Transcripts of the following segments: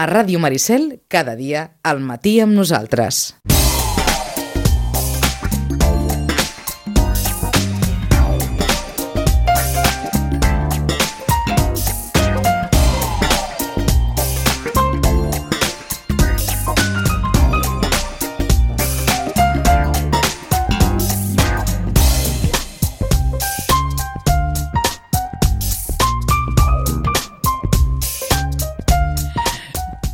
A Ràdio Maricel, cada dia, al matí amb nosaltres.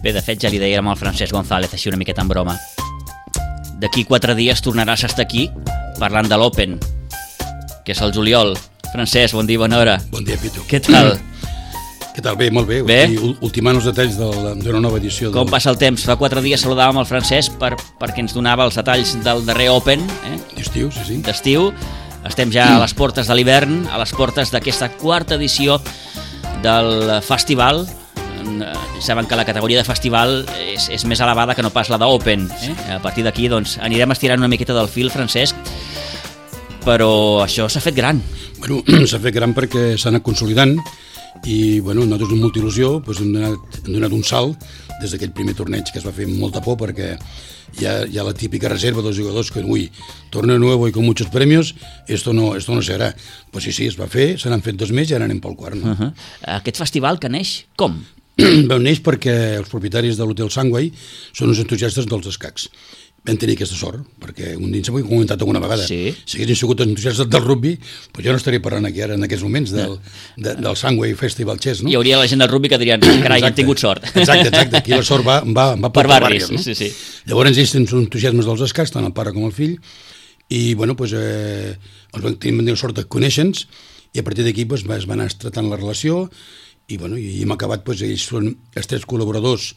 Bé, de fet, ja li dèiem al Francesc González, així una miqueta en broma. D'aquí 4 dies tornaràs a estar aquí parlant de l'Open, que és el juliol. Francesc, bon dia, bona hora. Bon dia, Pitu. Què tal? Què tal? Bé, molt bé. Bé? Ultimant els detalls d'una nova edició. Com passa el temps? Fa 4 dies saludàvem el Francesc perquè ens donava els detalls del darrer Open, D'estiu, sí. d'estiu. Estem ja a les portes de l'hivern, a les portes d'aquesta 4ª edició del festival. Saben que la categoria de festival és més elevada que no pas la d'Open. A partir d'aquí doncs, anirem estirant una miqueta del fil, Francesc, però això s'ha fet gran. Bueno, s'ha fet gran perquè s'ha anat consolidant i nosaltres amb molta il·lusió hem donat un salt des d'aquell primer torneig que es va fer amb molta por perquè hi ha la típica reserva dels jugadors que torna nuevo y con muchos premios, esto no serà. Pues sí, es va fer, se n'han fet 2 més i ara anem pel quart. No? Aquest festival que neix, com? Neix perquè els propietaris de l'Hotel Sunway són uns entusiastes dels escacs. Vam tenir aquesta sort, perquè un dia ho he comentat alguna vegada. Sí. Si haguessin sigut entusiastes del rugby, doncs jo no estaria parlant aquí ara en aquests moments del Sunway Festival Chess, no? Hi hauria la gent del rugby que dirien, carai, hem tingut sort. Exacte. Aquí la sort va per barris, no? Sí. Llavors ells tenen entusiasmes dels escacs, tant el pare com el fill, i els vam tenir sort de conèixer-nos, i a partir d'aquí es va anar tratant la relació, i hem acabat, ells són els 3 col·laboradors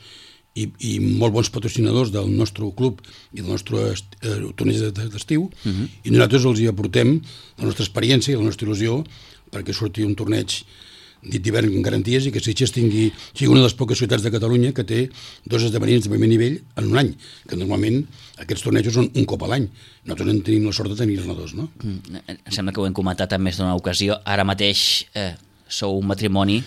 i molt bons patrocinadors del nostre club i del nostre torneig d'estiu, i nosaltres els hi aportem la nostra experiència i la nostra il·lusió perquè surti un torneig dit d'hivern amb garanties i que Sitges sigui una de les poques ciutats de Catalunya que té 2 esdeveniments de primer nivell en un any, que normalment aquests tornejos són un cop a l'any. Nosaltres en tenim la sort de tenir-ne 2, no? Em sembla que ho hem comentat en més d'una ocasió. Ara mateix sou un matrimoni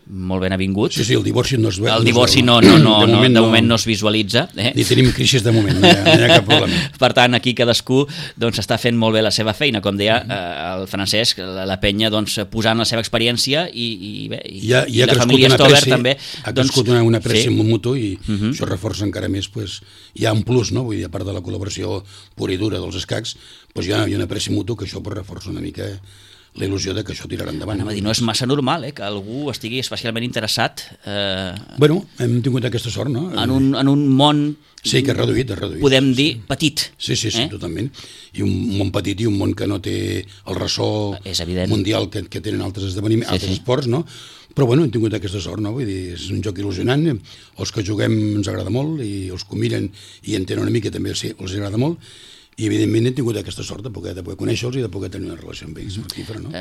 molt ben avingut. Sí, el divorci no es veu. El divorci de moment no es visualitza. Ni tenim crisis de moment, no hi ha cap problema. Per tant, aquí cadascú està fent molt bé la seva feina, com deia el Francesc, la penya posant la seva experiència i la família Stover també. Ha crescut una pressió mutu i això reforça encara més, hi ha un plus, no? Vull dir, a part de la col·laboració pura i dura dels escacs, hi ha una pressió mutu que això reforça una mica la il·lusió de que això tirarà endavant. No és massa normal que algú estigui especialment interessat hem tingut aquesta sort, no? En un món que és reduït. Podem dir petit. Sí, totalment. I un món petit i un món que no té el ressò mundial que tenen altres esdeveniments, altres esports, no? Però hem tingut aquesta sort, no? Vull dir, és un joc il·lusionant, els que juguem ens agrada molt i els que ho miren i en tenen una mica també els agrada molt. I evidentment hem tingut aquesta sort de poder conèixer-los i de poder tenir una relació amb ells fructífera, no?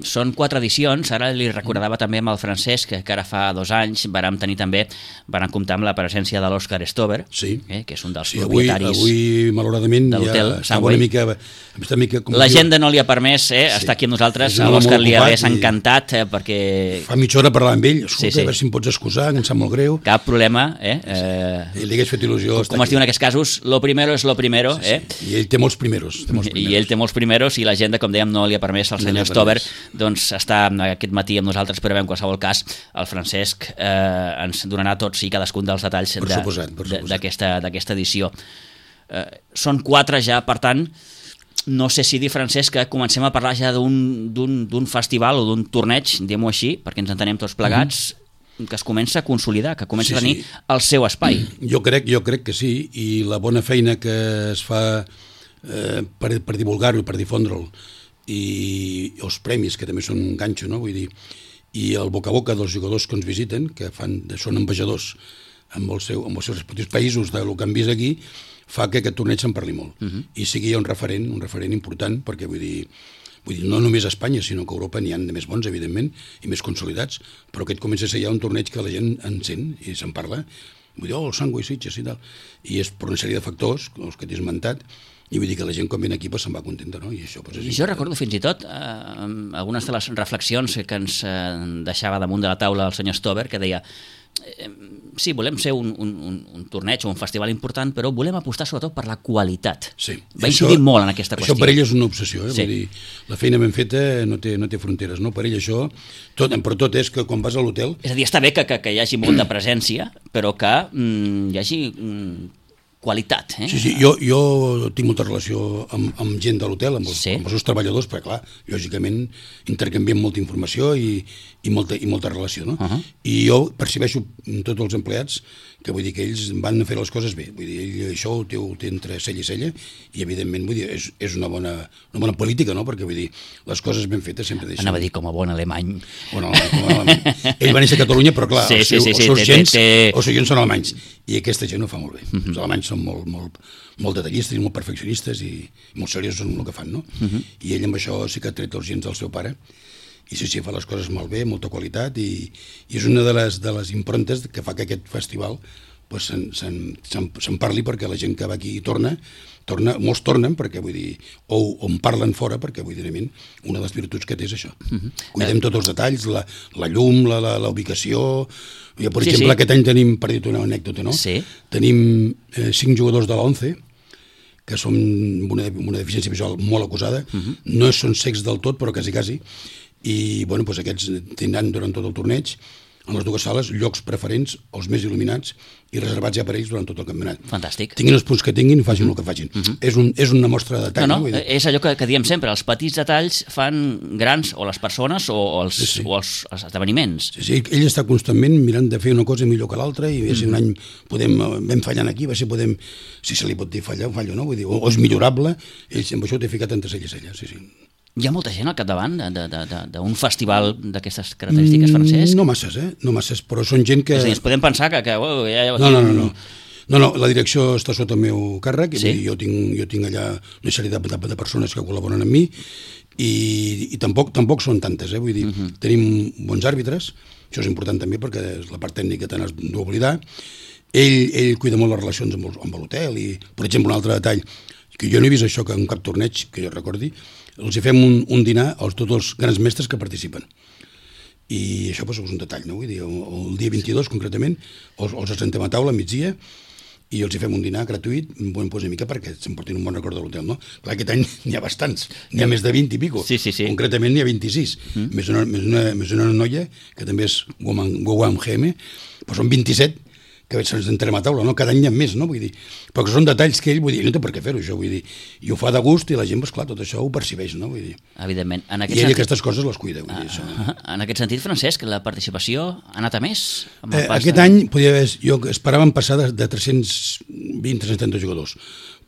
Són 4 edicions, ara li recordava també amb el Francesc que ara fa 2 anys vàrem comptar amb la presència de l'Òscar Stover, que és un dels propietaris avui malauradament de l'hotel Sunway. L'agenda no li ha permès estar aquí amb nosaltres, a l'Òscar li hagués encantat perquè... Fa mitja hora parlar amb ell, escolta, a veure si em pots excusar, que em sap molt greu. Cap problema. I li hagués fet il·lusió. Com es diu en aquests casos, lo primero es lo primero. I ell té molts primeros. I ell té molts primeros i l'agenda, com dèiem, no li ha permès al senyor Stover estar aquest matí amb nosaltres, però en qualsevol cas el Francesc ens donarà tots i cadascun dels detalls d'aquesta edició. Són 4 ja, per tant, no sé si dir, Francesc, que comencem a parlar ja d'un festival o d'un torneig, diguem-ho així, perquè ens entenem tots plegats, que es comença a consolidar, que comença a tenir el seu espai. Jo crec que sí, i la bona feina que es fa per divulgar-ho i per difondre'l, i els premis, que també són un ganxo, no? Vull dir, i el boca a boca dels jugadors que ens visiten, que són ambaixadors amb els seus respectius països del que han vist aquí, fa que aquest torneig se'n parli molt. I sigui un referent important, perquè vull dir, no només a Espanya, sinó que a Europa n'hi ha de més bons, evidentment, i més consolidats, però aquest comença a ser ja un torneig que la gent encén i se'n parla. Vull dir, el Sunway Sitges i tal. I és per una sèrie de factors, els que t'he esmentat, i vull dir que la gent quan ve aquí se'n va contenta, no? I això és important. Jo recordo fins i tot algunes de les reflexions que ens deixava damunt de la taula el senyor Stover, que deia, sí, volem ser un torneig o un festival important, però volem apostar sobretot per la qualitat. Sí. Va incidir molt en aquesta qüestió. Això per ell és una obsessió, Vull dir, la feina ben feta no té fronteres, no? Per ell això, però tot és que quan vas a l'hotel... És a dir, està bé que hi hagi molta presència, però que hi hagi qualitat. Sí, jo tinc molta relació amb gent de l'hotel, amb els seus treballadors, perquè clar, lògicament intercanviem molta informació i molta relació, no? I jo percebeixo tots els empleats que vull dir que ells van fer les coses bé, vull dir, ell això ho té entre cella i cella i evidentment vull dir, és una bona política, no? Perquè vull dir, les coses ben fetes sempre deixen... Anava a dir com a bon alemany. Bueno, ell va néixer a Catalunya, però clar, els seus gens són alemanys i aquesta gent ho fa molt bé. Els alemanys són molt detallistes i molt perfeccionistes i molt seriosos en el que fan, no? I ell amb això sí que ha tret els gens del seu pare i sí, fa les coses molt bé, molta qualitat i és una de les improntes que fa que aquest festival se'n parli perquè la gent que va aquí torna, molts tornen perquè vull dir, o en parlen fora perquè vull dir, una de les virtuts que té és això. Cuidem tots els detalls, la llum, la ubicació. Per exemple, aquest any tenim, per dir-te una anècdota, no? Tenim 5 jugadors de l'11 que són una deficiència visual molt acusada, no són cecs del tot, però quasi, i bueno, doncs aquests tindran durant tot el torneig en les dues sales llocs preferents, els més il·luminats i reservats ja per ells durant tot el campionat. Fantàstic. Tinguin els punts que tinguin i facin el que facin. És una mostra de detall. No, és allò que diem sempre, els petits detalls fan grans o les persones o els esdeveniments. Sí, ell està constantment mirant de fer una cosa millor que l'altra i si un any vam fallant aquí, si se li pot dir fallar, fallo, no? Vull dir, o és millorable, ell amb això ho té ficat entre cella i cella, sí. Hi ha molta gent al capdavant d'un festival d'aquestes característiques, Francesc? No masses, però són gent que... És a dir, ens podem pensar que... No, la direcció està sota el meu càrrec, jo tinc allà una sèrie de persones que col·laboren amb mi i tampoc són tantes, vull dir, tenim bons àrbitres, això és important també perquè la part tècnica te n'has d'oblidar, ell cuida molt les relacions amb l'hotel i, per exemple, un altre detall, que jo no he vist això que en cap torneig, que jo recordi, els hi fem un dinar a tots els grans mestres que participen. I això és un detall, no? Vull dir, el dia 22, concretament, els assentem a taula a migdia i els hi fem un dinar gratuït, una mica perquè s'emportin un bon record de l'hotel, no? Clar, aquest any n'hi ha bastants, n'hi ha més de 20 i pico. Sí. Concretament n'hi ha 26. Més una noia, que també és Guam GM, però són 27 que se'ns entrem a taula, no? Cada any hi ha més, no? Vull dir, però que són detalls que ell, vull dir, no té per què fer-ho, això, vull dir, i ho fa de gust i la gent, clar, tot això ho percibeix, no? Vull dir. Evidentment. I ell aquestes coses les cuida, vull dir, això. En aquest sentit, Francesc, la participació ha anat a més? Aquest any, jo esperàvem passar de 320-330 jugadors,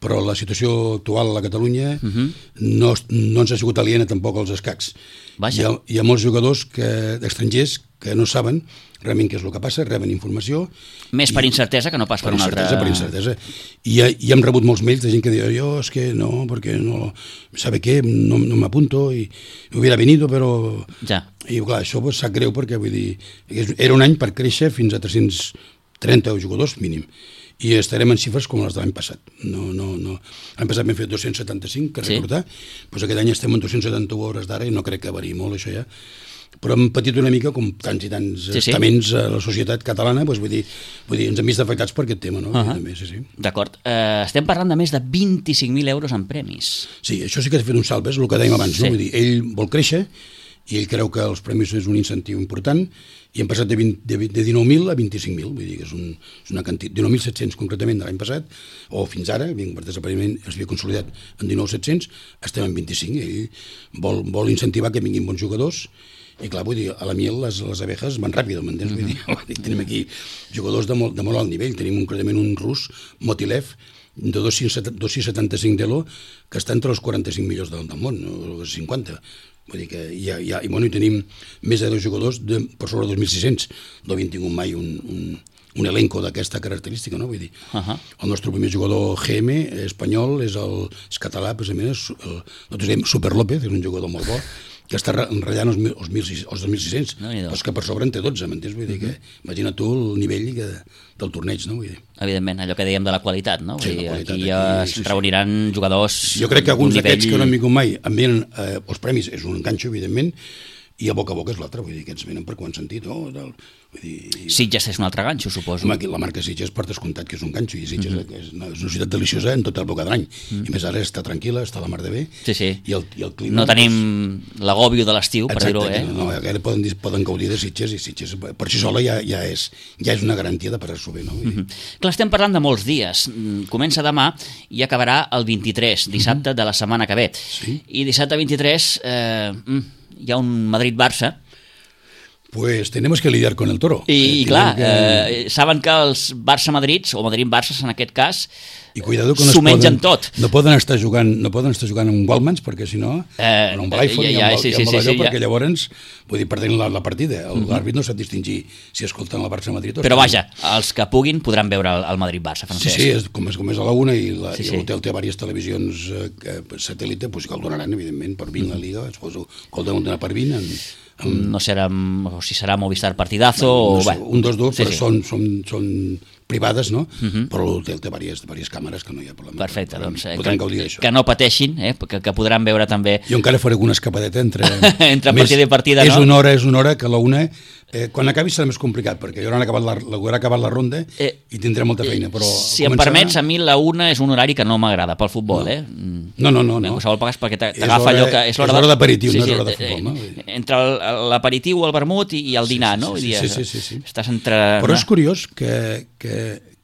però la situació actual a la Catalunya no ens ha sigut aliena tampoc als escacs. Hi ha molts jugadors estrangers que no saben realment què és el que passa, reben informació... Més per incertesa que no pas per una altra... Per incertesa. I hem rebut molts mails de gent que diu jo és que no, perquè no... ¿Sabe què? No m'apunto i hubiera venido, però... Ja. I clar, això sap greu perquè, vull dir, era un any per créixer fins a 330 jugadors mínim. I estarem en xifres com les de l'any passat. L'any passat vam fer 275, que recordar, doncs aquest any estem en 271 hores d'ara i no crec que variï molt això ja. Però hem patit una mica, com tants i tants estaments a la societat catalana, doncs vull dir, ens hem vist afectats per aquest tema, no? D'acord. Estem parlant de més de 25.000 euros en premis. Sí, això sí que ha fet un salt, és el que dèiem abans, no? Vull dir, ell vol créixer i ell creu que els premis és un incentiu important i hem passat de 19.000 a 25.000, vull dir que és una quantitat, 19.700 concretament de l'any passat, o fins ara, per desapariment es havia consolidat en 19.700, estem en 25, ell vol incentivar que vinguin bons jugadors. I clar, vull dir, a la miel les abejas van ràpid, m'entens? Vull dir, tenim aquí jugadors de molt alt nivell, tenim concretament un rus, Motilev, de 2,75 d'elo, que està entre els 45 millors del món, o 50. Vull dir que i tenim més de 2 jugadors per sobre 2.600, no havien tingut mai un elenco d'aquesta característica, no? Vull dir, el nostre primer jugador GM espanyol és català, precisament, nosaltres diem Super López, és un jugador molt bo, que està enratllant els 2.600, però és que per sobre en té 12, m'entens? Vull dir que imagina tu el nivell del torneig, no? Vull dir. Evidentment, allò que dèiem de la qualitat, no? Vull dir, aquí ja es reuniran jugadors... Jo crec que alguns d'aquests que no han vingut mai envien els premis, és un enganxo, evidentment, i a boca és l'altre, vull dir, aquests venen per quan sentit, vull dir... Sitges és un altre ganxo, suposo. Home, la marca Sitges per descomptat que és un ganxo, i Sitges és una ciutat deliciosa en tota l'època de l'any. I a més ara està tranquil·la, està la mar de bé. Sí, sí. I el clima... No tenim l'agòbio de l'estiu, per dir-ho, No, ara poden gaudir de Sitges, i Sitges per si sola ja és una garantia de passar-s'ho bé, no? Clar, estem parlant de molts dies. Comença demà i acabarà el 23, dissabte de la setmana que ve. I dissabte 23 hi ha un Madrid-Barça. Pues tenemos que lidiar con el toro. I clar, saben que els Barça-Madrids, o Madrid-Barça en aquest cas, s'ho mengen tot. No poden estar jugant en Wallmans, perquè si no, en un Blyford i amb allò, perquè llavors, vull dir, perdent la partida. L'àrbit no sap distingir si escolten el Barça-Madrid o... Però vaja, els que puguin podran veure el Madrid-Barça, Francesc. Sí, com és a la una i l'hotel té diverses televisions satèl·lite, doncs que el donaran, evidentment, per 20 la Liga, suposo que el donen per 20 no serà, o si serà Movistar Partidazo o... Un dels dos, però són privades, no? Però l'hotel té diverses càmeres que no hi ha problema. Perfecte, doncs podran gaudir d'això. Que no pateixin, que podran veure també... Jo encara faré alguna escapadeta entre partida i partida, no? És una hora que a la una... Quan acabi serà més complicat, perquè ja haurà acabat la ronda i tindré molta feina, però... Si em permets, a mi la una és un horari que no m'agrada pel futbol, No. En qualsevol pagues perquè t'agafa allò que... És l'hora d'aperitiu, no és l'hora de futbol, no? Entre l'aperitiu, el vermut i el dinar, no? Sí. Estàs entre... Però és curiós que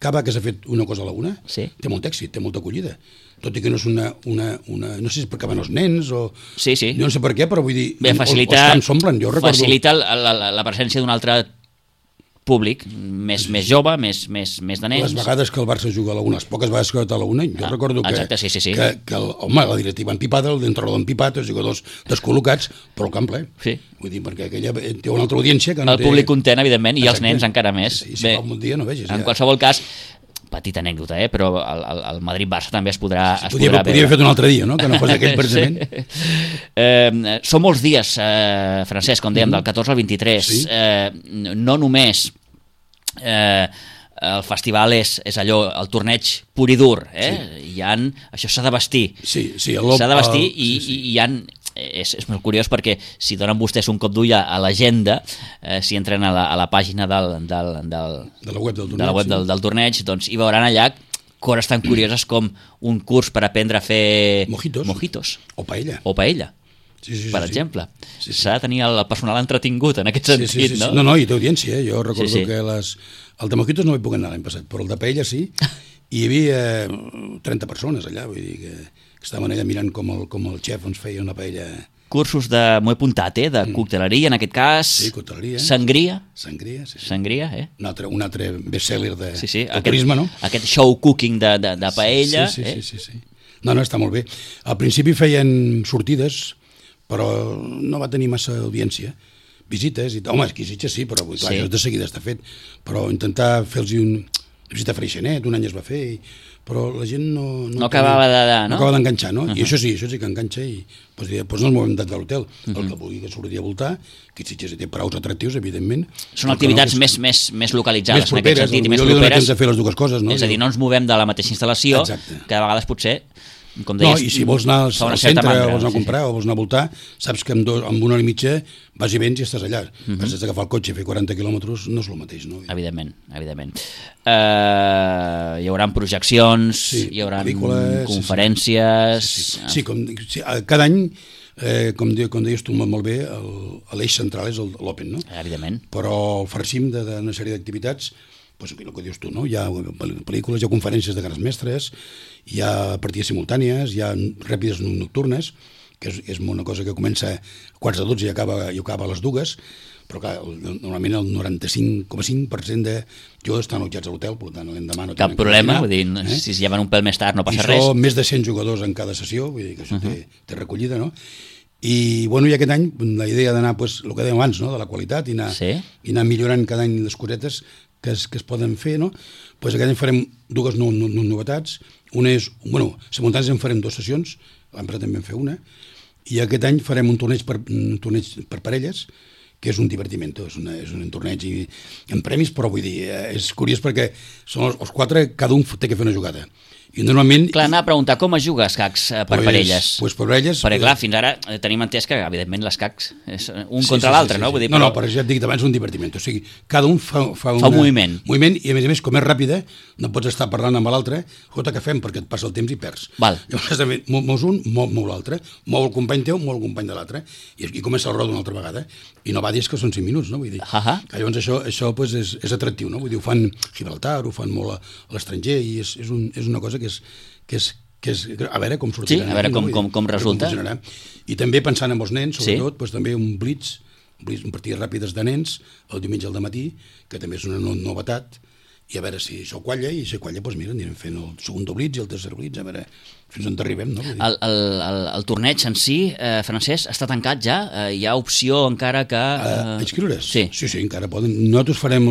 Cava, que s'ha fet una cosa a la una, té molt èxit, té molta acollida. Tot i que no és una... No sé si és perquè van els nens o... Sí. Jo no sé per què, però vull dir... Facilita la presència d'un altre públic, més jove, més de nens. Les vegades que el Barça juga a la una, les poques vegades que a la una, jo recordo que la directiva empipada, el d'entrenador empipat, els jugadors descol·locats, però el camp ple. Sí. Vull dir, perquè aquella té una altra audiència que no té... El públic content, evidentment, i els nens encara més. Si fa un dia no vegis. En qualsevol cas, petita anècdota, però el Madrid-Barça també es podrà veure. Podria haver fet un altre dia, no? Que no fos aquell precisament. Són molts dies, Francesc, com dèiem, del 14 al 23. No només el festival és allò, el torneig pur i dur, això s'ha de vestir. S'ha de vestir i hi ha... És molt curiós perquè si donen vostès un cop d'ull a l'agenda, si entren a la pàgina de la web del torneig, doncs hi veuran allà coses tan curioses com un curs per aprendre a fer mojitos o paella, per exemple. S'ha de tenir el personal entretingut en aquest sentit, no? No, i té audiència. Jo recordo que el de mojitos no hi puc anar l'any passat, però el de paella sí, i hi havia 30 persones allà, vull dir que estaven allà mirant com el xef ens feia una paella. Cursos m'ho he apuntat, de cocteleria, en aquest cas. Sí, cocteleria. Sangria. Sangria, un altre best-seller de turisme, no? Aquest show cooking de paella. Sí. No, està molt bé. Al principi feien sortides, però no va tenir massa audiència. Visites i tal. Home, exquisitges sí, però clar, això de seguida està fet. Però intentar fer-los una visita a Freixenet, un any es va fer però la gent no acabava d'enganxar, no? I això sí que enganxa i doncs no ens movem de l'hotel. El que vulgui que surti a voltar, que Sitges té praus atractius, evidentment. Són activitats més localitzades en aquest sentit, i més properes. De fer les dues coses, no? És a dir, no ens movem de la mateixa instal·lació, que a vegades potser, com deies... No, i si vols anar al centre, vols anar a comprar o vols anar a voltar, saps que amb una hora i mitja vas i vens i estàs allà. Has d'agafar el cotxe i fer 40 quilòmetres, no és el mateix, no? Evidentment. Hi haurà projeccions, hi haurà conferències... Sí, cada any, com deies tu molt bé, l'eix central és l'Open, no? Evidentment. Però el farcim d'una sèrie d'activitats, el que dius tu, no? Hi ha pel·lícules, hi ha conferències de grans mestres, hi ha partides simultànies, hi ha ràpides nocturnes, que és una cosa que comença a 11:45 i acaba a les 2, però clar, normalment el 95,5% de jugadors estan allotjats a l'hotel, per tant l'endemà no cap problema, vull dir, si es lleven un pèl més tard no passa res. I són més de 100 jugadors en cada sessió, vull dir que això té recollida, no? I aquest any la idea d'anar, el que dèiem abans, de la qualitat i anar millorant cada any les cosetes que es poden fer, no? Aquest any farem dues novetats. Una és, simultànies en farem 2 sessions, l'any passat també en fer una, i aquest any farem un torneig per parelles, que és un divertiment, és un torneig amb premis, però vull dir, és curiós perquè són els 4, cada un té que fer una jugada. I normalment... Clar, anar a preguntar com es juga escacs per parelles. Pues per parelles... Perquè clar, fins ara tenim entès que, evidentment, l'escacs és un contra l'altre, no? Vull dir, no, però ja et dic abans un divertiment. O sigui, cada un fa un moviment. I a més, com és ràpida, no pots estar parlant amb l'altre, escolta, què fem? Perquè et passa el temps i perds. Val. Llavors, mous un, mou l'altre. Mou el company teu, mou el company de l'altre. I comença el roda una altra vegada. I no va dir que són 5 minuts, no? Vull dir, que llavors això pues, és atractiu, no? Vull dir, ho fan Gibraltar, ho fan molt a l'estranger i és una cosa que és a veure com sortirà. Sí, a veure com resulta. I també pensant en els nens, sobretot, doncs, també un blitz, partides ràpides de nens, el diumenge al dematí, que també és una novetat, i a veure si això qualla, i si qualla, doncs mira, anirem fent el segon blitz i el tercer blitz, a veure fins on arribem, no? El torneig en si, Francesc, està tancat ja? Hi ha opció encara que... Inscriure's? Sí, encara poden. Nosaltres farem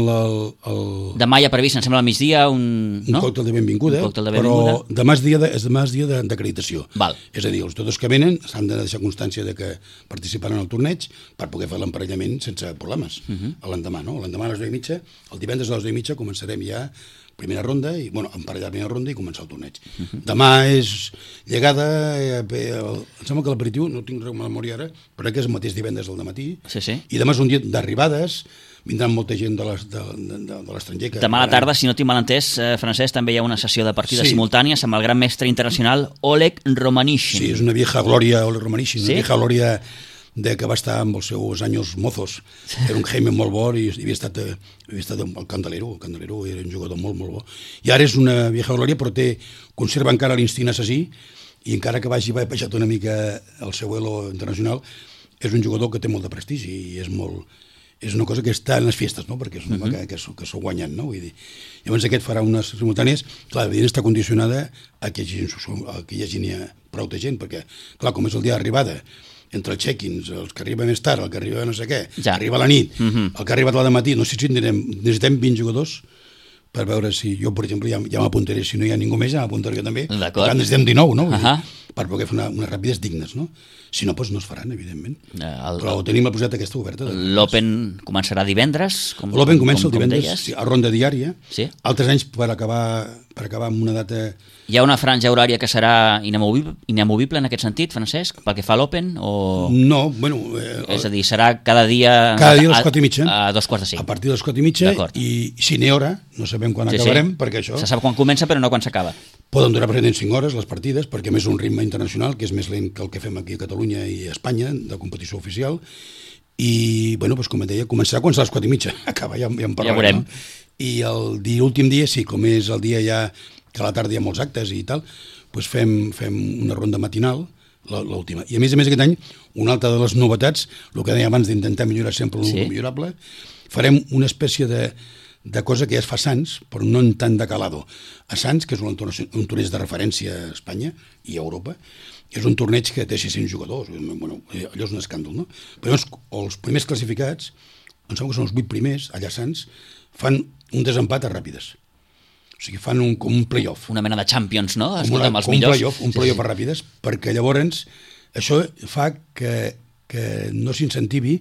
demà hi ha previst, em sembla, al migdia, un còctel de benvinguda, però demà és dia d'acreditació. És a dir, els tots que venen s'han de deixar constància de que participaran al torneig per poder fer l'emparellament sense problemes. L'endemà, no? L'endemà a les 10:30, el divendres a les 10:30 començarem ja primera ronda, emparellar primera ronda i començar el torneig. Demà és llegada, em sembla que l'aperitiu, no tinc res de memòria ara, però que és el mateix divendres al dematí, i demà és un dia d'arribades, vindran molta gent de l'estranger. Demà a la tarda, si no tinc mal entès, Francesc, també hi ha una sessió de partides simultànies amb el gran mestre internacional Oleg Romanishin. Sí, és una vieja glòria, Oleg Romanishin, una vieja glòria que va estar amb els seus anys mozos. Era un Jaime molt bo i havia estat el Candelero. El Candelero era un jugador molt bo. I ara és una vieja glòria, però conserva encara l'instint assassí, i encara que vagi baixat una mica el seu elo internacional, és un jugador que té molt de prestigi i és una cosa que està en les festes, no? Perquè és un home que s'ho guanyen, no? Vull dir, llavors aquest farà unes simultànies, clar, evidentment està condicionada a que hi hagi prou de gent, perquè, clar, com és el dia d'arribada, entre els check-ins, els que arriba més tard, el que arriba no sé què, arriba a la nit, el que ha arribat a la matí, no sé si necessitem 20 jugadors per veure si jo, per exemple, ja m'apuntaré, si no hi ha ningú més, ja m'apuntaré jo també, per tant necessitem 19, no? Per poder fer unes ràpides dignes, no? Si no, doncs no es faran, evidentment. Però tenim la possibilitat aquesta oberta. L'Open començarà divendres? L'Open comença el divendres, a ronda diària. Altres anys, per acabar amb una data... Hi ha una franja horària que serà inamovible en aquest sentit, Francesc, pel que fa a l'Open? No, bueno... És a dir, serà cada dia... Cada dia a les 4:30. A 2:45. A partir de les 4:30, i si n'hi hora, no sabem quan acabarem, perquè això... Se sap quan comença, però no quan s'acaba. Poden durar present 5 hores les partides, perquè més un ritme internacional, que és més lent que el que fem aquí a Catalunya i a Espanya, de competició oficial, i, bueno, doncs, com et deia, començarà quan serà a les 4:30, acaba, ja en parlarem. Ja veurem. I l'últim dia, sí, com és el dia ja que a la tarda hi ha molts actes i tal, doncs fem una ronda matinal, l'última. I a més aquest any, una altra de les novetats, el que deia abans d'intentar millorar sempre el millorable, farem una espècie de cosa que ja es fa a Sants, però no en tant de calado. A Sants, que és un torneig de referència a Espanya i a Europa, és un torneig que té 600 jugadors. Bueno, allò és un escàndol, no? Però els primers classificats, em sembla que són els 8 primers, allà a Sants, fan un desempat a ràpides. O sigui, fan com un play-off. Una mena de Champions, no? Amb els millors. Un play-off a ràpides, perquè llavors això fa que no s'incentivi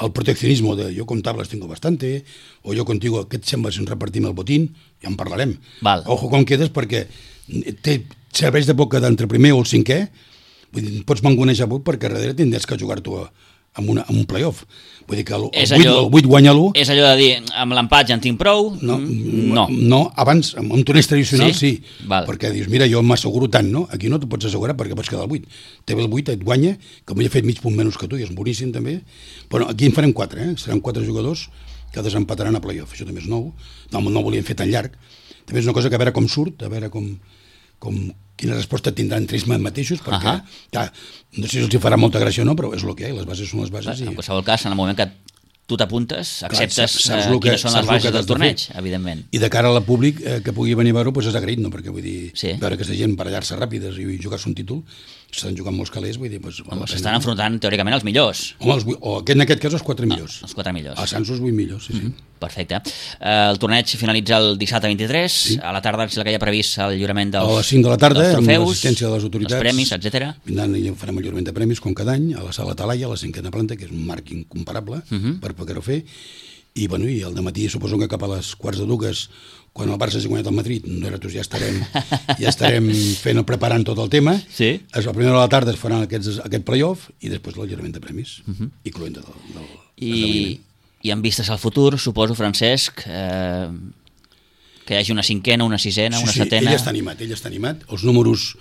el proteccionismo de yo con tablas tengo bastante, o yo contigo, què et sembla si ens repartim el botín? Ja en parlarem. Ojo com quedes, perquè serveix de poc quedar entre primer o el cinquè, vull dir, pots mangonejar poc perquè darrere tindràs que jugar-t'ho amb un play-off. Vull dir que el 8 guanya-lo... És allò de dir, amb l'empat ja en tinc prou? No, abans, amb un torneig tradicional sí, perquè dius, mira, jo m'asseguro tant, no? Aquí no t'ho pots assegurar perquè pots quedar al 8. Té el 8, et guanya, com ja he fet mig punt menys que tu, i és boníssim també. Però aquí en farem 4, seran 4 jugadors que desempataran a play-off. Això també és nou, no ho volíem fer tan llarg. També és una cosa que a veure com surt, a veure quina resposta tindran entre ells mateixos, perquè no sé si els farà molta gràcia o no, però és el que hi ha, les bases són les bases. En qualsevol cas, en el moment que tu t'apuntes, acceptes quines són les bases del torneig, evidentment. I de cara al públic que pugui venir a veure-ho, és agraït, no? Perquè vull dir, veure aquesta gent barallar-se ràpides i jugar-se un títol, s'estan jugant molts calés, vull dir... S'estan enfrontant teòricament els millors. O en aquest cas els 4 millors. Els 4 millors. A Sants els 8 millors, sí. Perfecte. El torneig finalitza el dissabte 23, a la tarda si la que hi ha previst el lliurament dels trofeus, a les 5 de la tarda, amb l'assistència de les autoritats, els premis, etc. Vindran i farem el lliurament de premis, com cada any, a la sala Talaia, a la 5a planta, que és un marc incomparable per poder-ho fer. I al dematí suposo que cap a les 1:15 quan el Barça s'ha guanyat el Madrid, nosaltres ja estarem preparant tot el tema. Sí. A la primera hora de la tarda es faran aquest playoff i després l'alliberament de premis, incloent del esdeveniment. I amb vistes al futur, suposo, Francesc, que hi hagi una cinquena, una sisena, una setena... Ell està animat. Els números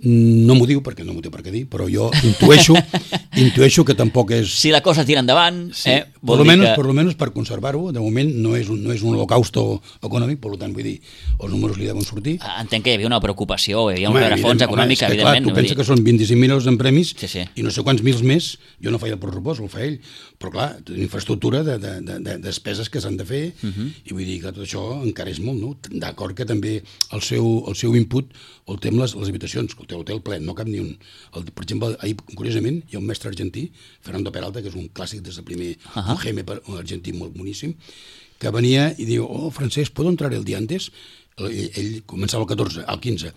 no m'ho diu, perquè no m'ho té per què dir, però jo intueixo que tampoc és... Si la cosa tira endavant... Sí. Per almenys per conservar-ho, de moment no és un holocausto econòmic, per tant, vull dir, els números li deuen sortir. Entenc que hi havia una preocupació, hi havia un rerefons econòmic, evidentment. Clar, tu pensa que són 25 milions en premis sí. I no sé quants mils més, jo no feia el pressupost, el fa ell, però clar, infraestructura de despeses que s'han de fer, i vull dir que tot això encara és molt, no? D'acord que també el seu input el té amb les habitacions, que el té l'hotel ple, no cap ni un. Per exemple, ahir, curiosament, hi ha un mestre argentí, Fernando Peralta, que és un clàssic des del primer UGM, un argentí molt boníssim, que venia i diu, Francesc, ¿puedo entrar el día antes? Ell començava el 14, al 15.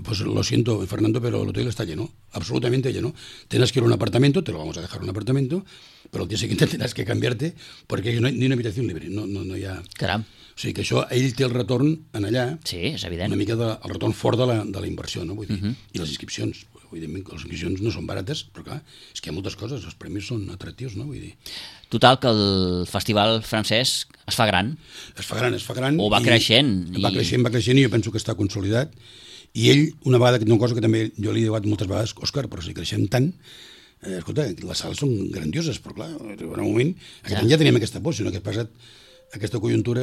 Pues lo siento, Fernando, pero el hotel está lleno, absolutamente lleno. Tienes que ir a un apartamento, te lo vamos a dejar un apartamento, pero el día siguiente tendrás que cambiarte porque no hay ni una habitación libre, no hi ha... Caram. O sigui que això, ell té el retorn en allà, sí, és evident. Una mica el retorn fort de la inversió, no? Vull dir, i les inscripcions. Evidentment que les inscripcions no són barates, però clar, és que hi ha moltes coses, els premis són atractius, no? Vull dir... Total, que el festival francès es fa gran. Es fa gran. O va creixent. Va creixent i jo penso que està consolidat. I ell, una cosa que també jo li he dit moltes vegades, Òscar, però si creixem tant, escolta, les sales són grandioses, però clar, en un moment, aquest any ja teníem aquesta por, sinó que aquesta conjuntura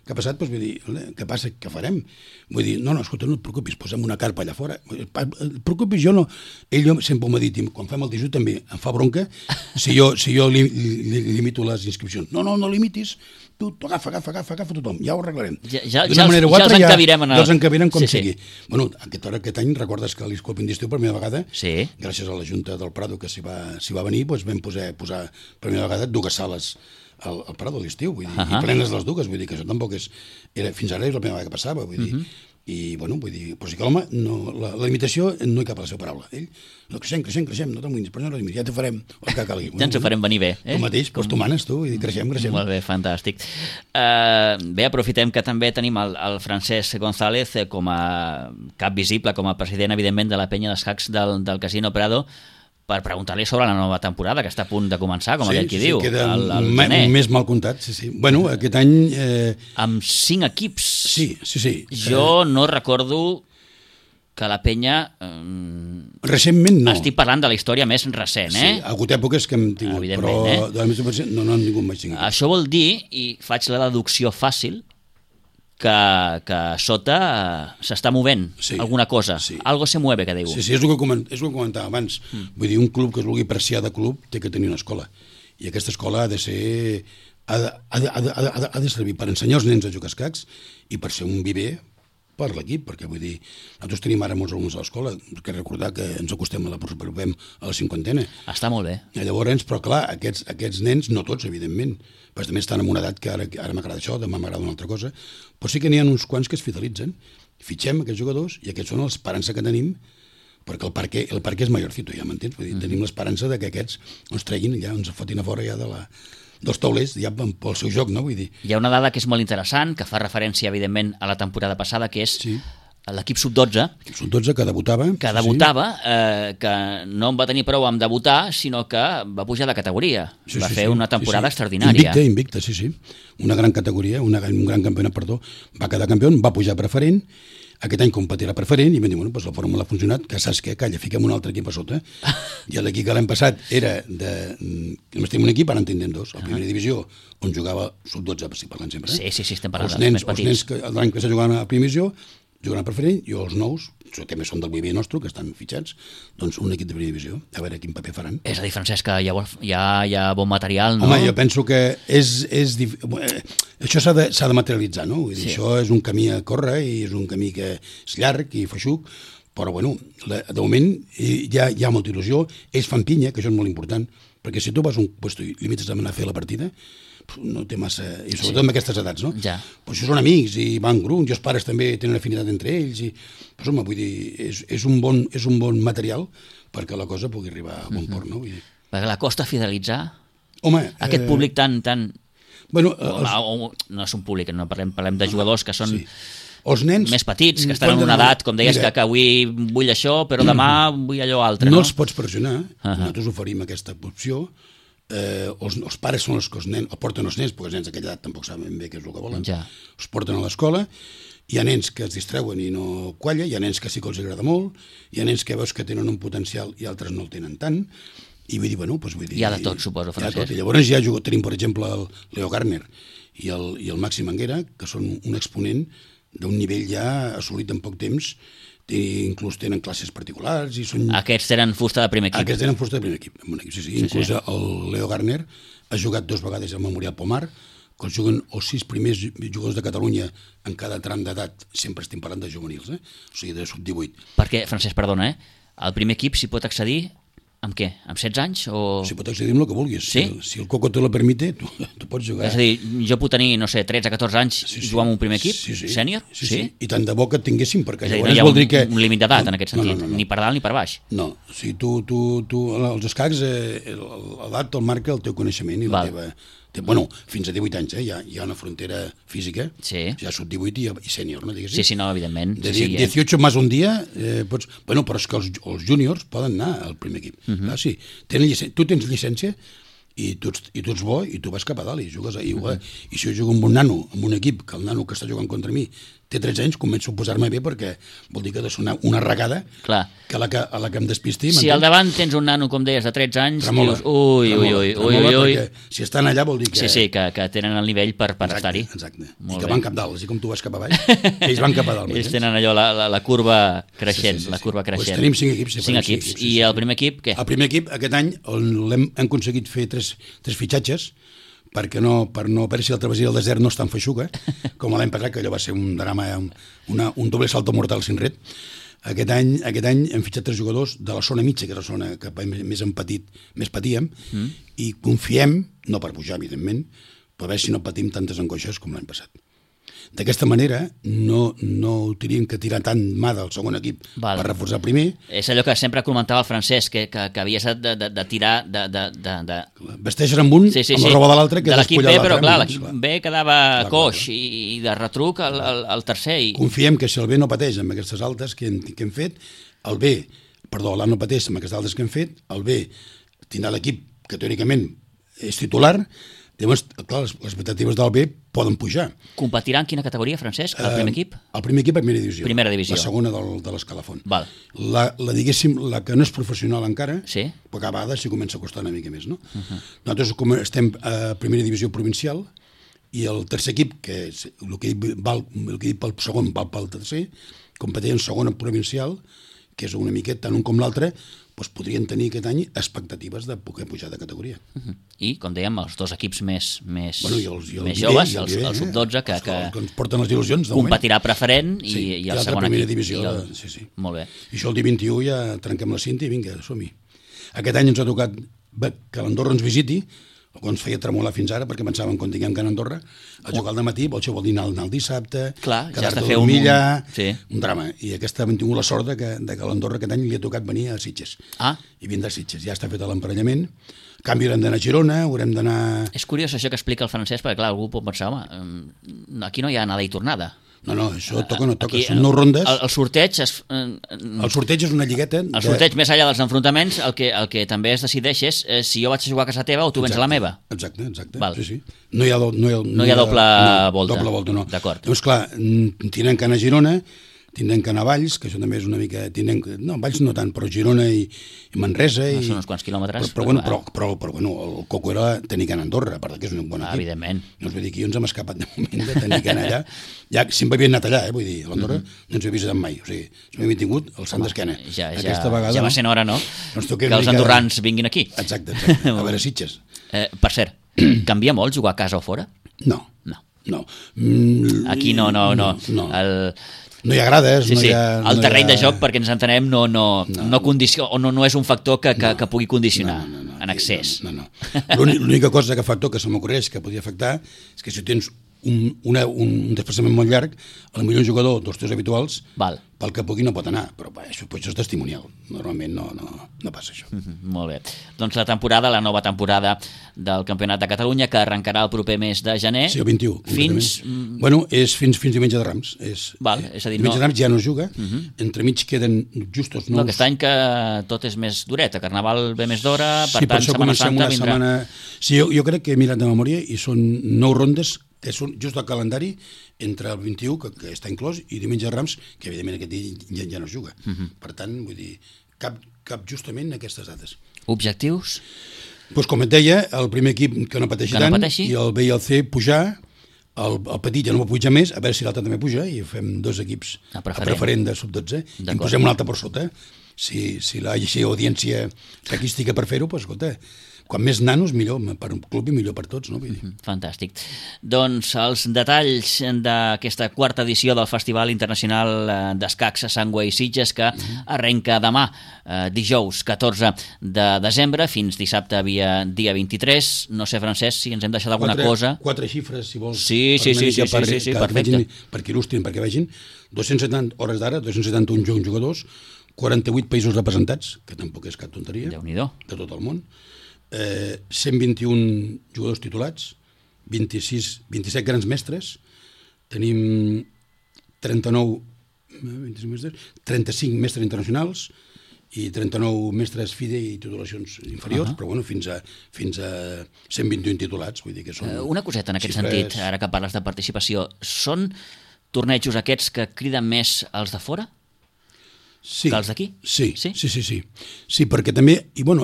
que ha passat, doncs vull dir, què passa, què farem? Vull dir, no, escolta, no et preocupis, posem una carpa allà fora. Et preocupis, jo no. Ell sempre m'ha dit, quan fem el Tijú també em fa bronca, si jo limito les inscripcions. No limitis, tu agafa tothom, ja ho arreglarem. Ja els encabirem. Ja els encabirem com sigui. Bueno, aquest any, recordes que a l'Escolpin d'estiu per primera vegada, gràcies a la Junta del Prado que s'hi va venir, vam posar per primera vegada 2 sales al Prado de l'estiu, vull dir, i plenes les dues, vull dir que això tampoc fins ara és la primera vegada que passava, vull dir, i bueno, vull dir, però sí que l'home, la limitació no hi cap a la seva paraula, ell, no, creixem, no t'amoïnis, però no, ja t'ho farem el que calgui. Ja ens ho farem venir bé. Tu mateix, doncs tu manes, tu, i creixem. Molt bé, fantàstic. Bé, aprofitem que també tenim el Francesc González com a cap visible, com a president, evidentment, de la penya d'escacs del Casino Prado, per preguntar-li sobre la nova temporada, que està a punt de començar, com aquell qui diu. Sí, queda un mes mal comptat, sí. Bueno, aquest any... Amb 5 equips. Sí. Jo no recordo que la penya... Recentment no. Estic parlant de la història més recent, Sí, ha hagut èpoques que hem tingut, però de la més recent no han tingut mai 5 equips. Això vol dir, i faig la deducció fàcil, que sota s'està movent alguna cosa. Algo se mueve, que diu. Sí, és el que comentava abans. Vull dir, un club que es vulgui apreciar de club té que tenir una escola. I aquesta escola ha de ser... ha de servir per ensenyar els nens a jugar a escacs i per ser un viver per l'equip, perquè vull dir, nosaltres tenim ara molts alumnes a l'escola, que recordar que ens acostem a la 50ena. Està molt bé. Llavors, però clar, aquests nens, no tots, evidentment, però també estan en una edat que ara m'agrada això, demà m'agrada una altra cosa, però sí que n'hi ha uns quants que es fidelitzen, fitxem aquests jugadors i aquests són l'esperança que tenim, perquè el parque és mayorcito, ja m'entens? Vull dir, tenim l'esperança que aquests ens treguin, ja ens fotin a fora ja dels taulers, ja pel seu joc, no? Vull dir. Hi ha una dada que és molt interessant, que fa referència, evidentment, a la temporada passada, que és l'equip sub-12. L'equip sub-12 que debutava. Que no en va tenir prou amb debutar, sinó que va pujar de categoria. Va fer una temporada extraordinària. Invicta, sí. Una gran categoria, un gran campionat, va quedar campió, va pujar preferent. Aquest any competirà preferent i vam dir, la fórmula ha funcionat, que saps què? Calla, fiquem un altre equip a sota. I l'equip que l'any passat era només tenim un equip, ara en tindrem 2. A primera divisió, on jugava sub-12, si parlant sempre. Sí, estem parlant dels més petits. Els nens l'any que s'ha jugat a primera divisió jugaran preferent, i els nous, que més són del viver nostre, que estan fitxats, doncs un equip de primera divisió, a veure quin paper faran. És a dir, Francesc, que hi ha bon material, no? Home, jo penso que això s'ha de materialitzar, no? Vull dir, això és un camí a córrer i és un camí que és llarg i feixuc, però bueno, de moment hi ha molta il·lusió, ells fan pinya, que això és molt important, perquè si tu vas a un lloc i limites a anar a fer la partida, no té massa... I sobretot amb aquestes edats, no? Ja. Però això són amics i van grups, i els pares també tenen afinitat entre ells, i... Però, home, vull dir, és un bon material perquè la cosa pugui arribar a bon port, no? Vull dir. Perquè la costa fidelitzar... Home... Aquest públic tan... Bueno, no és un públic, no parlem de jugadors que són els nens, més petits, que estan en una edat, com deies, que avui vull això, però demà vull allò altre. No els pots pressionar, nosaltres oferim aquesta opció, els pares són els que el porten els nens, perquè els nens d'aquella edat tampoc saben bé què és el que volen, els porten a l'escola, hi ha nens que es distreuen i no qualla, hi ha nens que sí que els agrada molt, hi ha nens que veus que tenen un potencial i altres no el tenen tant, i vull dir, bueno, doncs vull dir... Hi ha de tot, suposo, Francesc. Llavors ja tenim, per exemple, el Leo Gardner i el Maxi Manguera, que són un exponent d'un nivell ja assolit en poc temps, inclús tenen classes particulars i són... Aquests tenen fusta de primer equip. Aquests tenen fusta de primer equip, sí. Inclús el Leo Gardner ha jugat 2 vegades al Memorial Pomar, que juguen els 6 primers jugadors de Catalunya en cada tram d'edat, sempre estem parlant de juvenils, o sigui, de sub-18. Perquè, Francesc, perdona, al primer equip s'hi pot accedir amb què? Amb 16 anys? O... Si pot accedir amb el que vulguis. Sí? Si el Coco te lo permite, tu pots jugar. És a dir, jo puc tenir, no sé, 13 o 14 anys i jugar amb un primer equip? Sènior? Sí. I tant de bo que et tinguéssim, perquè llavors no hi ha vol dir que... un límit d'edat en aquest sentit, ni per dalt ni per baix. No, si tu els escacs, l'edat el marca el teu coneixement i la teva... Bueno, fins a 18 anys, hi ha una frontera física, ja sub 18 i sènior, no diguéssim? Sí, no, evidentment. De 18 més un dia, pots... Bueno, però és que els júniors poden anar al primer equip. Sí, tu tens llicència i tu ets bo i tu vas cap a dalt i jugues i si jo jugo amb un nano, amb un equip, que el nano que està jugant contra mi té 13 anys, començo a posar-me bé perquè vol dir que ha de sonar una regada que a la que em despisti. Si al davant tens un nano, com deies, de 13 anys, dius, ui, si estan allà vol dir que... Sí, que tenen el nivell per estar-hi. Exacte, i que van cap dalt, així com tu vas cap a baix, ells van cap a dalt. Ells tenen allò, la curva creixent, la curva creixent. Tenim 5 equips. 5 equips, i el primer equip, què? El primer equip, aquest any, hem aconseguit fer 3 fitxatges, per no per si el travessia del desert no és tan feixuga, com l'any passat, que allò va ser un drama, un doble salto mortal sin red. Aquest any hem fitxat 3 jugadors de la zona mitja, que és la zona que més patíem, i confiem, no per pujar, evidentment, però a veure si no patim tantes angoixes com l'any passat. D'aquesta manera no hauríem que tirar tant mà del segon equip per reforçar el primer. És allò que sempre comentava el Francesc, que havies de tirar vesteixes amb un, amb la roba de l'altre, que de l'equip B, però clar, l'equip B quedava coix i de retruc el tercer. Confiem que si el B no pateix amb aquestes altes que hem fet, l'A no pateix amb aquestes altes que hem fet, el B tindrà l'equip que teòricament és titular. Llavors, clar, les expectatives del B poden pujar. Competirà en quina categoria, Francesc, el primer equip? El primer equip, primera divisió. Primera divisió. La segona de l'escalafon. Diguéssim, la que no és professional encara, però cada vegada s'hi comença a costar una mica més, no? Nosaltres estem a primera divisió provincial i el tercer equip, que és el que he dit pel segon val pel tercer, competeix en segona provincial, que és una miqueta tant un com l'altre, doncs podrien tenir aquest any expectatives de poder pujar de categoria. I, com dèiem, els 2 equips més joves, el sub-12, que ens porten les il·lusions, competirà preferent i el segon equip. Divisió, molt bé. I això el dia 21 ja trenquem la cinta i vinga, som-hi. Aquest any ens ha tocat que l'Andorra ens visiti, el que ens feia tremolar fins ara, perquè pensàvem quan tinguem que anar a Andorra, a jugar al dematí, això vol dir anar el dissabte, quedar-te a dormir allà, un drama. I aquesta hem tingut la sort que l'Andorra aquest any li ha tocat venir a Sitges. I vindrà a Sitges, ja està fet l'emparellament. En canvi, haurem d'anar a Girona, haurem d'anar... És curiós això que explica el Francesc, perquè clar, algú pot pensar, aquí no hi ha anada i tornada. No, això toca o no toca, són 9 rondes. El sorteig... El sorteig és una lligueta... El sorteig, més enllà dels enfrontaments, el que també es decideix és si jo vaig a jugar a casa teva o tu vens a la meva. Exacte, sí. No hi ha doble volta. Doble volta, no. D'acord. Llavors, clar, tindrem que anar a Girona, tindrem que anar a Valls, que això també és una mica... No, Valls no tant, però Girona i Manresa... Són uns quants quilòmetres. Però el coco era tenir que anar a Andorra, a part que és un bon equip. Evidentment. No us vull dir que jo ens hem escapat de moment de tenir que anar allà. Ja sempre havien anat allà, vull dir, a l'Andorra no ens havia visitat mai. O sigui, ens havíem tingut el Sant d'Esquena. Ja va sent hora, no? Que els andorrans vinguin aquí. Exacte. A veure Sitges. Per cert, canvia molt jugar a casa o fora? No. Aquí no. No hi ha grades, no hi ha... El terreny de joc, perquè ens entenem, no condiciona, o no és un factor que pugui condicionar en excés. No. L'única cosa factor que se m'ocorreix que podria afectar és que si tens un desplaçament molt llarg, potser un jugador dels teus habituals, Val. pel que pugui no pot anar, però això és testimonial. Normalment no passa això. Molt bé. Doncs la nova temporada del Campionat de Catalunya, que arrencarà el proper mes de gener. Sí, el 21. Fins... Bueno, és fins diumenge de Rams. Val, és a dir, diumenge de Rams ja no es juga, entremig queden justos nous... No, aquest any que tot és més duret, el Carnaval ve més d'hora, per sí, tant, Setmana Santa vindrà... Sí, jo crec que he mirat de memòria i són 9 rondes que són just el calendari entre el 21, que està inclòs, i diumenge de Rams, que evidentment aquest dia ja no es juga. Per tant, vull dir, cap justament aquestes dates. Objectius? Doncs com et deia, el primer equip que no pateixi tant, i el B i el C pujar, el petit ja no va pujar més, a veure si l'altre també puja, i fem 2 equips a preferent de sub-12, i en posem un altre per sota. Si la audiència saquística per fer-ho, doncs escolta, quan més nanos millor per un club i millor per tots, no? Vull dir. Fantàstic. Doncs els detalls d'aquesta 4ª edició del Festival Internacional d'Escacs a Sangüe i Sitges, que arrenca demà, dijous 14 de desembre, fins dissabte dia 23. No sé, Francesc, si ens hem deixat alguna cosa. 4 xifres, si vols. Sí, perfecte. Perquè il·lustrin, perquè vegin. 270 hores d'ara, 271 jugadors, 48 països representats, que tampoc és cap tonteria, Déu-n'hi-do, de tot el món. 121 jugadors titulats, 27 grans mestres, tenim 35 mestres internacionals i 39 mestres FIDE i titulacions inferiors, però bueno, fins a 121 titulats, vull dir que són... Una coseta en aquest sentit, ara que parles de participació, són tornejos aquests que criden més els de fora? Sí, que els d'aquí? Sí, perquè també, i bueno,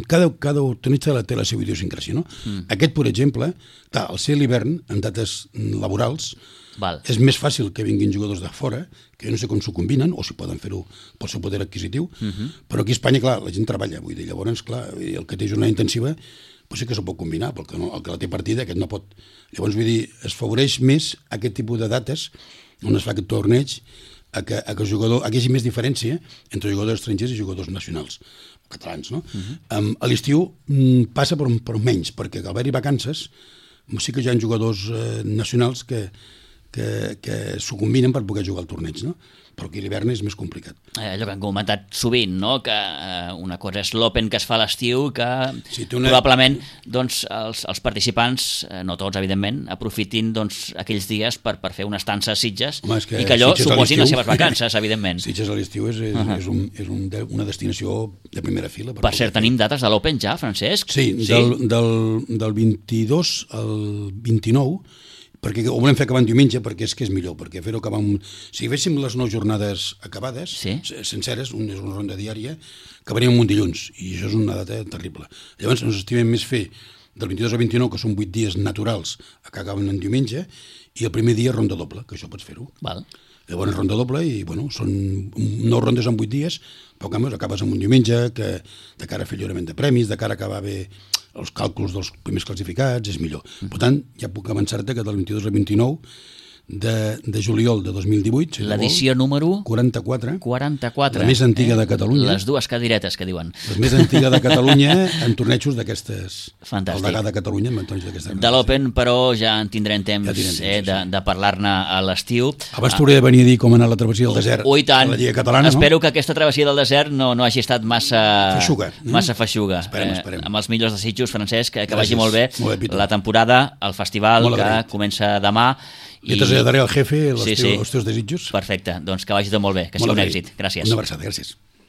cada torneig té la seva idiosincràsia, no? Aquest, per exemple, clar, al ser l'hivern, en dates laborals, és més fàcil que vinguin jugadors de fora, que no sé com s'ho combinen, o si poden fer-ho pel seu poder adquisitiu, però aquí a Espanya, clar, la gent treballa, vull dir, llavors, clar, el que té jornada intensiva, pues sí que s'ho pot combinar, perquè el que la té partida, aquest no pot. Llavors, vull dir, es favoreix més aquest tipus de dates on es fa aquest torneig, a que el jugador, hi hagi més diferència entre jugadors estrangers i jugadors nacionals, catalans, no? A l'estiu passa per menys, perquè al haver-hi vacances sí que hi ha jugadors nacionals que s'ho combinen per poder jugar al torneig, no? Però aquí l'hivern és més complicat. Allò que hem comentat sovint, no? Que una cosa és l'Open que es fa a l'estiu, que probablement doncs, els participants, no tots evidentment, aprofitin doncs, aquells dies per fer una estança a Sitges i que allò suposin les seves vacances, evidentment. Sitges a l'estiu és una destinació de primera fila. Per cert, tenim dates de l'Open ja, Francesc? Sí, del 22 al 29, perquè ho volem fer acabant diumenge, perquè és que és millor, perquè fer-ho acabar si féssim les 9 jornades acabades, senceres, és una ronda diària, acabaríem un dilluns, i això és una data terrible. Llavors ens estimem més fer del 22 al 29, que són 8 dies naturals, que acaben en diumenge, i el primer dia ronda doble, que això pots fer-ho. Llavors ronda doble, i bueno, són 9 rondes en 8 dies, però acabes amb un diumenge, que de cara a fer lliurament de premis, de cara a acabar bé els càlculs dels primers classificats, és millor. Per tant, ja puc avançar-te que del 22 al 29 de juliol de 2018... L'edició número... 44. 44. La més antiga de Catalunya. Les dues cadiretes que diuen. La més antiga de Catalunya en tornejos d'aquestes... Fantàstic. El degà de Catalunya en tornejos d'aquestes... De l'Open, però ja en tindrem temps de parlar-ne a l'estiu. Abans t'hauria de venir a dir com anar a la travessia del desert. I tant. A la Lliga Catalana, no? Espero que aquesta travessia del desert no hagi estat massa feixuga. Esperem. Amb els millors desitjos, Francesc, que vagi molt bé la temporada, el festival que comença demà. I traslladaré al jefe els teus desitjos. Perfecte, doncs que vagi tot molt bé, que sigui un èxit. Gràcies. Una abraçada, gràcies.